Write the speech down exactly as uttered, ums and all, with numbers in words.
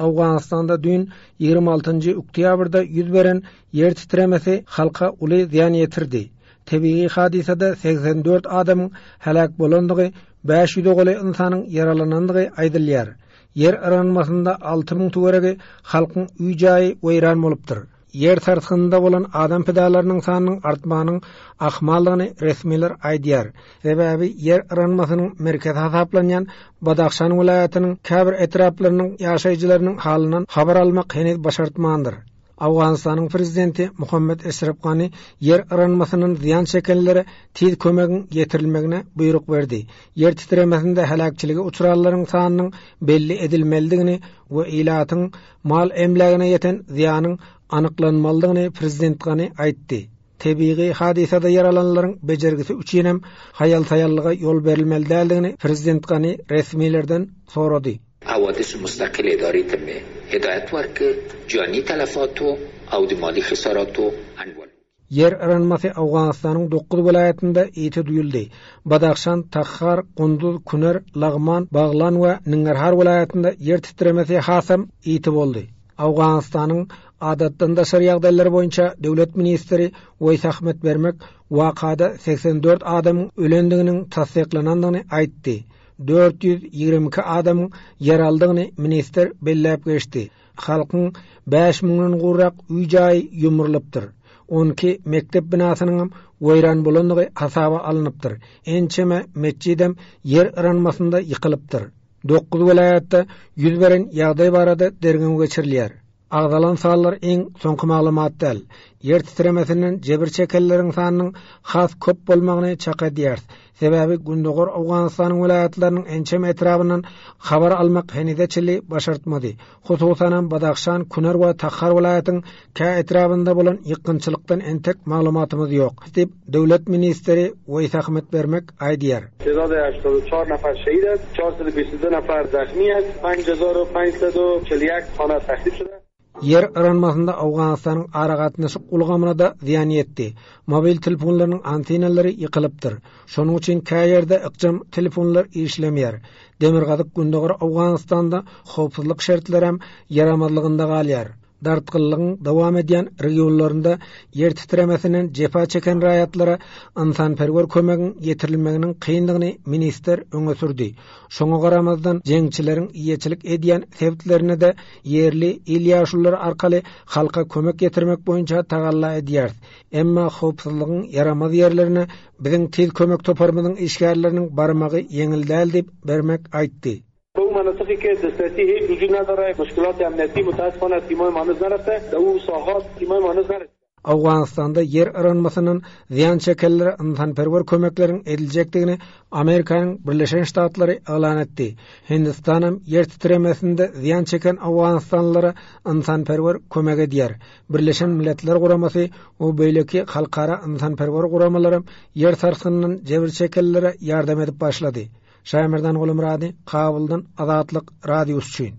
Owganystanda düýn ýigrimi altynjy oktýabrda ýüz beren ýer titremesi halka uly zyýan ýetirdi. Tebigy hadysada segsen dört adamyň heläk bolandygy, bäş ýüze golaý ynsanyň ýaralanandygy aýdylýar. Ýer yranmasynda alty müň töweregi halkyň öý-jaýy weýran bolupdyr. Ýer sarsgynynda bolan adam pidalarynyň sanynyň artmagynyň ahmaldygyny resmiler aýdýar. Sebäbi ýer yranmasynyň merkezi hasaplanýan Badahşan welaýatynyň käbir etraplarynyň ýaşaýjylarynyň halyndan habar almak heniz başartmandyr. Owganystanyň prezidenti Muhammed Eşref Gani ýer yranmasyndan zyýan çekenlere tiz kömegiň ýetirilmegine buýruk berdi. Ýer titremesinde heläkçilige uçranlaryň sanynyň belli edilmelidigini we ilatyň mal emlägine ýeten zyýanyň anyklanmalydygyny prezident Gani aýtdy. Tebigy hadysada ýaralanlaryň bejergisi üçinem haýal-saýallyga ýol berilmeli däldigini prezident Gani resmilerden sorady. حوادث مستقل اداره تم هدایت ورک جانی تلفات و او د مالی خسارات و انوال. Ýer yranmasy Owganystanyň dokuz welaýatynda ýiti duýuldy. Badahşan, Takhar, Kunduz, Kuner, Lagman, Baglan we Ningarhar welaýatynda ýer titremesi hasam ýiti boldy. Owganystanyň adatdan daşary ýagdaýlar boýunça döwlet ministri Weýs Ahmet Bermek wakada segsen dört adamyň ölendiginiň tassyklanandygyny aýtdy. Dört ýüz ýigrimi iki adamyň ýaraldygyny ministr belläp geçdi. Halkyň bäş müňden gowrak öý-jaýy ýumrulypdyr. On iki mekdep binasynyň weýran bolandygy hasaba alnypdyr. Ençeme metjidem ýer yranmasynda ýykylypdyr. Dokuz welaýatda ýüz beren ýagdaý barada derňew geçirilýär. Agzalan sanlar iň soňky maglumat däl. Ýer titremesinden jebir çekenleriň sanynyň has köp bolmagyny çak edýär. Sebäbi Gündogar Owganystanyň welaýatlarynyň ençeme etrabyndan habar almak henize çenli başartmady. Hususanam Badahşan, Kuner we Takhar welaýatyň kä etrabynda bolan ýykgynçylykdan entek maglumatymyz ýok, diýip döwlet ministri Weýs Ahmet Bermek aýdýar. تعداد هشتاد و چهار نفر شهید است، چهارصد و بیست و دو نفر زخمی است، پنج هزار و پنجصد و چهل و یک خانه تخریب شده. Ýer yranmasynda Owganystanyň aragatnaşyk ulgamyna da zyýan ýetdi. Mobil telefonlarynyň antenalary ýykylypdyr. Şonuň üçin kä ýerde ykjam telefonlar işlemeýär. Demirgazyk Gündogar Owganystanda howpsuzlyk şertleri hem ýaramazlygynda galýar. Dartgynlygyň dowam edýän regionlarynda ýer titremesinden jepa çeken raýatlara ynsanperwer kömegiň ýetirilmeginiň kyndygyny ministr öňe sürdi. Şoňa garamazdan jeňçileriň eýeçilik edýän sebitlerine de ýerli il ýaşulary arkaly halka kömek ýetirmek boýunça tagalla edýär. Emma howpsuzlygyň ýaramaz ýerlerine biziň tiz kömek toparymyzyň işgärleriniň barmagy ýeňil däl diýip Bermek aýtdy. به او مناطقی که دسترسی هیچ وجود نداره، مشکلات امنیتی متاسفانه تیمای ما هنوز نرفته، در او ساحات تیمای ما هنوز نرسیده. Owganystanda ýer yranmasyndan zyýan çekenlere ynsanperwer kömekleriň ediljekdigini Amerikanyň Birleşen Ştatlary yglan etdi. Hindistanam ýer titremesinde zyýan çeken Owganystanlylara ynsanperwer kömek edýär. Birleşen Milletler Guramasy we beýleki halkara ynsanperwer guramalary ýer sarsgynyndan jebir çekenlere ýardam edip başlady. Şaýmerdan Gulumrady, Kabuldan Azatlyk Radiosy üçin.